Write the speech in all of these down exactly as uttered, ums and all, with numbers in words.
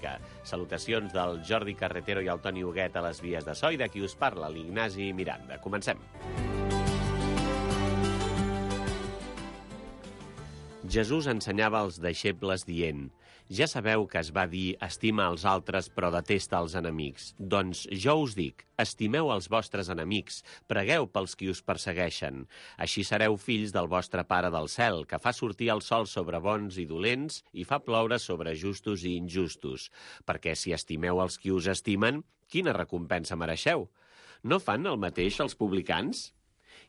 música. Salutacions del Jordi Carretero i el Toni Huguet a les vies de so i de qui us parla, l'Ignasi Miranda. Comencem. Jesús ensenyava als deixebles dient: ja sabeu que es va dir estima els altres però detesta els enemics. Doncs jo us dic, estimeu els vostres enemics, pregueu pels qui us persegueixen. Així sereu fills del vostre Pare del cel, que fa sortir el sol sobre bons i dolents i fa ploure sobre justos i injustos. Perquè si estimeu els qui us estimen, quina recompensa mereixeu? No fan el mateix els publicans?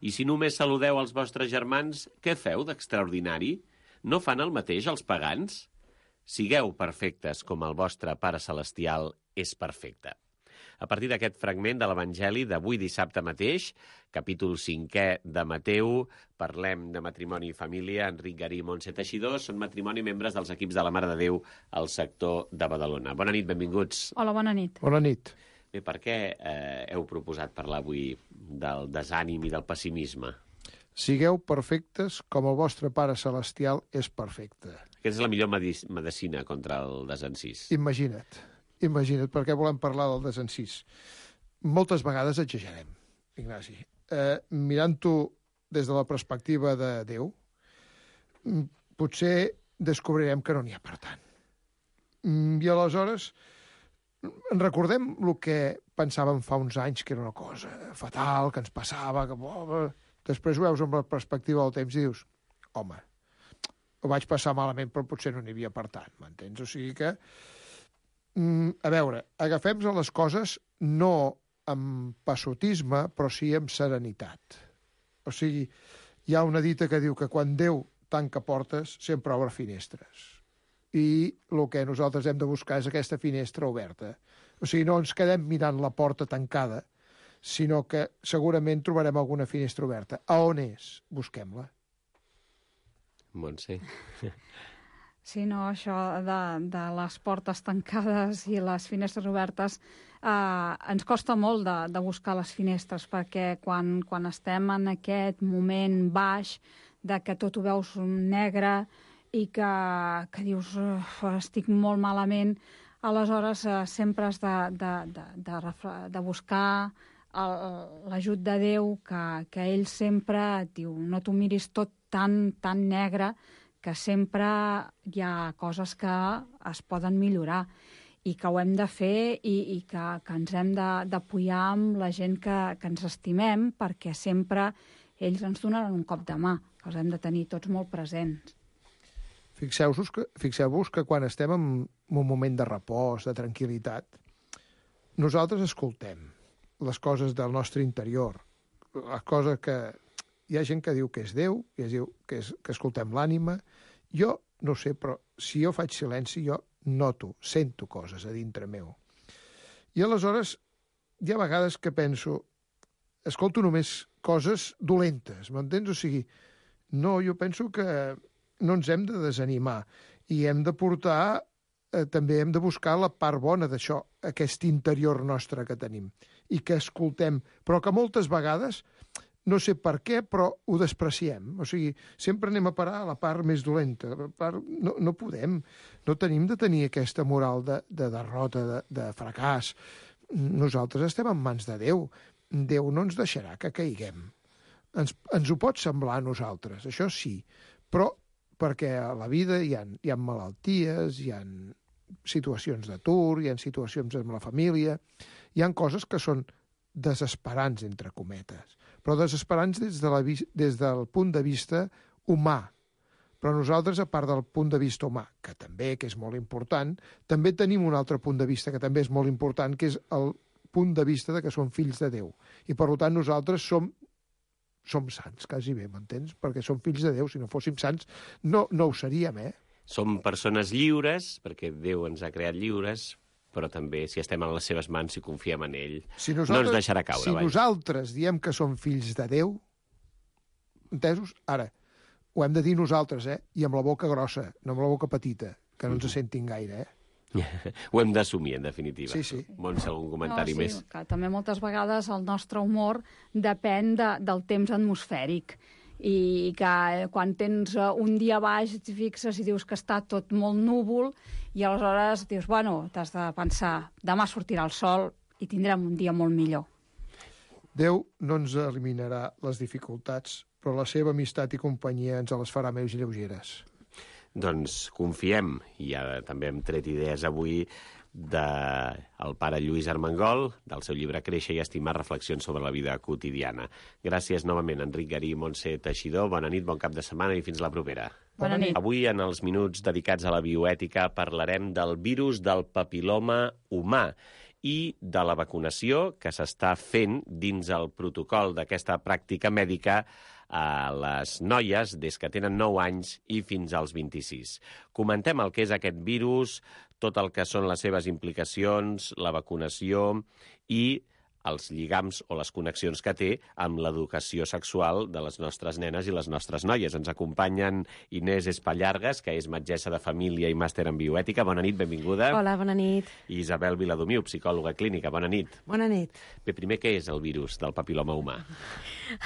I si només saludeu els vostres germans, què feu d'extraordinari? No fan el mateix els pagans? Sigueu perfectes com el vostre Pare Celestial és perfecte. A partir d'aquest fragment de l'Evangeli d'avui dissabte mateix, capítol cinquè de Mateu, parlem de matrimoni i família. Enric Garí i Montse Teixidor són matrimoni membres dels equips de la Mare de Déu al sector de Badalona. Bona nit, benvinguts. Hola, bona nit. Bona nit. Bé, per què eh, heu proposat parlar avui del desànim i del pessimisme? Sigueu perfectes com el vostre Pare Celestial és perfecte. Aquesta és la millor medicina contra el desencís. Imagina't, imagina't, per què volem parlar del desencís. Moltes vegades exagerem, Ignasi. Eh, Mirant-ho des de la perspectiva de Déu, potser descobrirem que no n'hi ha per tant. I aleshores en recordem el que pensàvem fa uns anys, que era una cosa fatal, que ens passava, que... Després ho veus amb la perspectiva del temps i dius, home, ho vaig passar malament, però potser no n'hi havia per tant, m'entens? O sigui que, mm, a veure, agafem les coses no amb passotisme, però sí amb serenitat. O sigui, hi ha una dita que diu que quan Déu tanca portes, sempre obre finestres. I el que nosaltres hem de buscar és aquesta finestra oberta. O sigui, no ens quedem mirant la porta tancada, sinó que segurament trobarem alguna finestra oberta. A on és? Busquem-la. Montse. Sí, no, això de, de les portes tancades i les finestres obertes eh, ens costa molt de, de buscar les finestres, perquè quan, quan estem en aquest moment baix de que tot ho veus negre i que, que dius estic molt malament, aleshores eh, sempre has de, de, de, de, de buscar l'ajut de Déu, que, que ell sempre et diu, no t'ho miris tot tan, tan negre, que sempre hi ha coses que es poden millorar i que ho hem de fer i, i que, que ens hem d'apoyar amb la gent que, que ens estimem, perquè sempre ells ens donaran un cop de mà, que els hem de tenir tots molt presents. Fixeu-vos que, fixeu-vos que quan estem en un moment de repòs, de tranquil·litat, nosaltres escoltem les coses del nostre interior, les coses que... Hi ha gent que diu que és Déu, i es diu que, és, que escoltem l'ànima. Jo no sé, però si jo faig silenci, jo noto, sento coses a dintre meu. I aleshores hi ha vegades que penso, escolto només coses dolentes, m'entens? O sigui, no, jo penso que no ens hem de desanimar i hem de portar, eh, també hem de buscar la part bona d'això, aquest interior nostre que tenim i que escoltem, però que moltes vegades, no sé per què, però ho despreciem. O sigui, sempre anem a parar a la part més dolenta. La part... No, no podem, no tenim de tenir aquesta moral de, de derrota, de, de fracàs. Nosaltres estem en mans de Déu. Déu no ens deixarà que caiguem. Ens, ens ho pot semblar a nosaltres, això sí, però perquè a la vida hi ha, hi ha malalties, hi ha situacions d'atur, hi ha situacions amb la família, hi ha coses que són desesperants, entre cometes, però desesperants des, de la, des del punt de vista humà. Però nosaltres, a part del punt de vista humà, que també que és molt important, també tenim un altre punt de vista que també és molt important, que és el punt de vista de que som fills de Déu. I, per tant, nosaltres som som sants, quasi bé, m'entens? Perquè som fills de Déu. Si no fóssim sants, no, no ho seríem, eh? Som persones lliures, perquè Déu ens ha creat lliures, però també, si estem en les seves mans, si confiem en ell, si no ens deixarà caure. Si vai. nosaltres diem que som fills de Déu, entesos? Ara, ho hem de dir nosaltres, eh? I amb la boca grossa, no amb la boca petita, que no ens mm-hmm. sentin gaire, eh? Ho hem d'assumir, en definitiva. Sí, sí. Montse, algun comentari no, sí, més? Que també moltes vegades el nostre humor depèn de, del temps atmosfèric i que quan tens un dia baix et fixes i dius que està tot molt núvol I aleshores dius, bueno, t'has de pensar, demà sortirà el sol i tindrem un dia molt millor. Déu no ens eliminarà les dificultats, però la seva amistat i companyia ens les farà més lleugeres. Doncs confiem, i ara també hem tret idees avui del pare Lluís Armengol, del seu llibre Créixer i estimar, reflexions sobre la vida quotidiana. Gràcies novament, Enric Garí i Montse Teixidor. Bona nit, bon cap de setmana i fins la propera. Bona nit. Avui, en els minuts dedicats a la bioètica, parlarem del virus del papiloma humà i de la vacunació que s'està fent dins el protocol d'aquesta pràctica mèdica a les noies des que tenen nou anys i fins als vint-i-sis. Comentem el que és aquest virus, tot el que són les seves implicacions, la vacunació i els lligams o les connexions que té amb l'educació sexual de les nostres nenes i les nostres noies. Ens acompanyen Inés Espallargas, que és metgessa de família i màster en bioètica. Bona nit, benvinguda. Hola, bona nit. I Isabel Viladomiu, psicòloga clínica. Bona nit. Bona nit. Bé, primer, què és el virus del papiloma humà?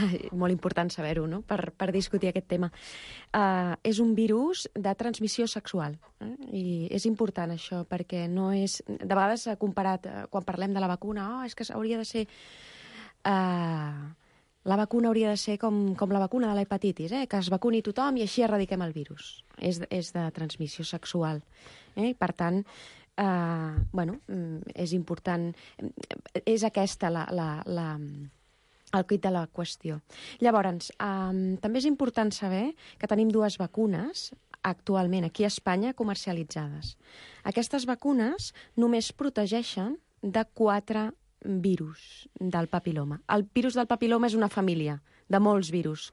Ai, molt important saber-ho, no?, per, per discutir aquest tema. Uh, és un virus de transmissió sexual. Eh? I és important això, perquè no és... De vegades s'ha comparat, uh, quan parlem de la vacuna, oh, és que hauria de ser... Uh, la vacuna hauria de ser com, com la vacuna de l'hepatitis, eh? Que es vacuni tothom i així erradiquem el virus. És, és de transmissió sexual. Eh? Per tant, uh, bueno, és important... És aquesta la... la, la el quid de la qüestió. Llavors, um, també és important saber que tenim dues vacunes actualment aquí a Espanya comercialitzades. Aquestes vacunes només protegeixen de quatre virus del papiloma. El virus del papiloma és una família de molts virus,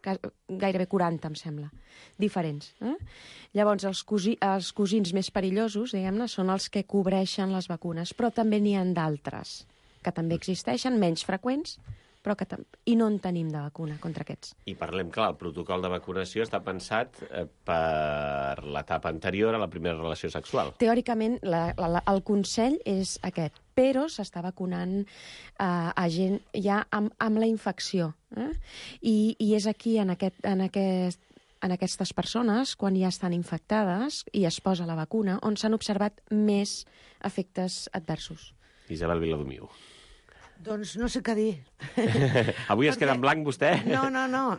gairebé quaranta, em sembla, diferents. Eh? Llavors, els, cosi, els cosins més perillosos, diguem-ne, són els que cobreixen les vacunes, però també n'hi ha d'altres, que també existeixen, menys freqüents, però que i no en tenim de vacuna contra aquests. I parlem, clar, el protocol de vacunació està pensat eh, per l'etapa anterior a la primera relació sexual. Teòricament, la, la, el consell és aquest, però s'està vacunant eh, a gent ja amb, amb la infecció. Eh? I, I és aquí, en, aquest, en, aquest, en aquestes persones, quan ja estan infectades i es posa la vacuna, on s'han observat més efectes adversos. Isabel Viladomiu. Doncs no sé què dir. Avui es queda en blanc, vostè? No, no, no.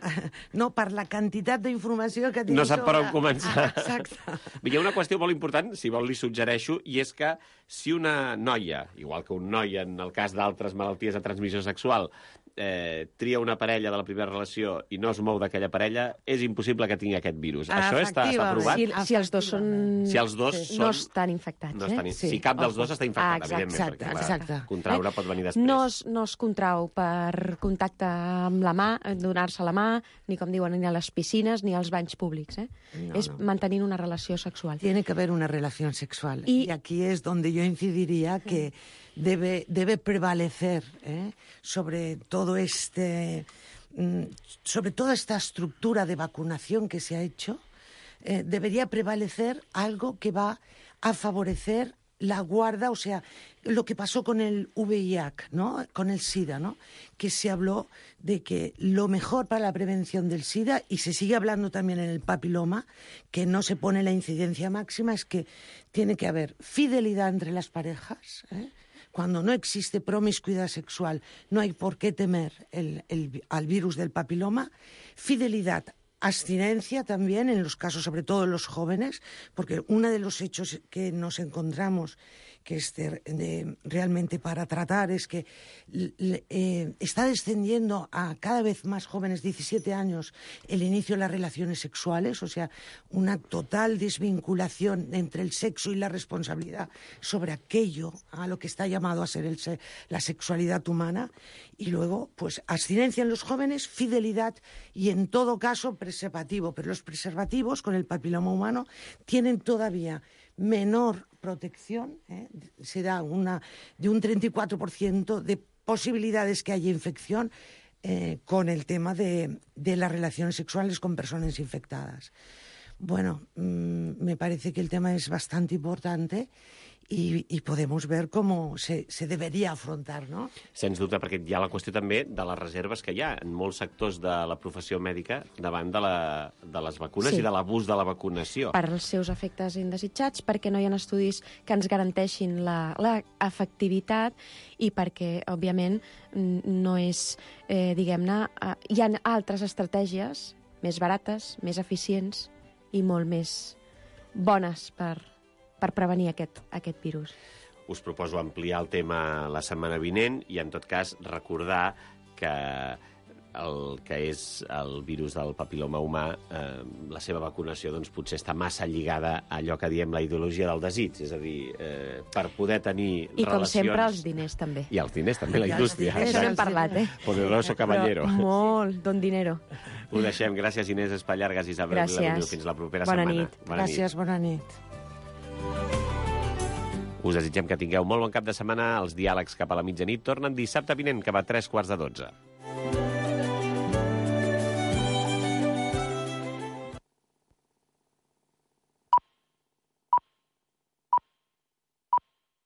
No, per la quantitat d'informació que tinc no sap per on sobre... començar. Ah, exacte. Hi ha una qüestió molt important, si vol li suggereixo, i és que si una noia, igual que un noi en el cas d'altres malalties de transmissió sexual, eh, tria una parella de la primera relació i no es mou d'aquella parella, és impossible que tingui aquest virus. Això està, està provat? Si, si els dos són... Si els dos sí. són... No estan infectats, no estan... eh? Sí. Si cap dels dos està infectat, ah, exacte, evidentment, exacte, perquè exacte. contraure pot venir després. No es, no es contrau per contacte amb la mà, donar-se la mà, ni com diuen, ni a les piscines, ni als banys públics. Eh? No, és no. mantenint una relació sexual. Tiene que haber una relación sexual. Y, y aquí es donde yo incidiría que debe, debe prevalecer ¿eh? sobre todo este, sobre toda esta estructura de vacunación que se ha hecho, eh, debería prevalecer algo que va a favorecer la guarda, o sea, lo que pasó con el V I H, ¿no? Con el SIDA, ¿no? Que se habló de que lo mejor para la prevención del SIDA, y se sigue hablando también en el papiloma, que no se pone la incidencia máxima, es que tiene que haber fidelidad entre las parejas, ¿eh? Cuando no existe promiscuidad sexual, no hay por qué temer el, el, al virus del papiloma, fidelidad, abstinencia también en los casos, sobre todo en los jóvenes, porque uno de los hechos que nos encontramos que es de, de, realmente para tratar es que eh, está descendiendo a cada vez más jóvenes, diecisiete años, el inicio de las relaciones sexuales, o sea, una total desvinculación entre el sexo y la responsabilidad sobre aquello a lo que está llamado a ser el, la sexualidad humana, y luego, pues, abstinencia en los jóvenes, fidelidad y, en todo caso, preservativo. Pero los preservativos con el papiloma humano tienen todavía menor protección, ¿eh? Se da una, de un treinta y cuatro por ciento de posibilidades que haya infección eh, con el tema de, de las relaciones sexuales con personas infectadas. Bueno, mmm, me parece que el tema es bastante importante y, y podemos ver cómo se, se debería afrontar, ¿no? Sens dubte, perquè hi ha la qüestió també de les reserves que hi ha en molts sectors de la professió mèdica davant de, la, de les vacunes Sí. i de l'abús de la vacunació. Per als seus efectes indesitjats, perquè no hi ha estudis que ens garanteixin la, la efectivitat i perquè, òbviament, n- no és, eh, diguem-ne, eh, hi ha altres estratègies més barates, més eficients i molt més bones per, per prevenir aquest, aquest virus. Us proposo ampliar el tema la setmana vinent i, en tot cas, recordar que el que és el virus del papiloma humà, eh, la seva vacunació doncs, potser està massa lligada a allò que diem la ideologia del desig, és a dir, eh, per poder tenir I, com relacions... sempre, els diners també. I els diners també, la I els indústria. diners. Això exacte. n'hem parlat, eh? Poderoso caballero. Però molt, don dinero. Ho deixem. Gràcies, Inés Espallargas i Isabel Gràcies. Viladomiu. Fins la propera Bona setmana. nit. Gràcies, bona nit. Us desitgem que tingueu molt bon cap de setmana. Els diàlegs cap a la mitjanit tornen dissabte vinent, que va a tres quarts de dotze.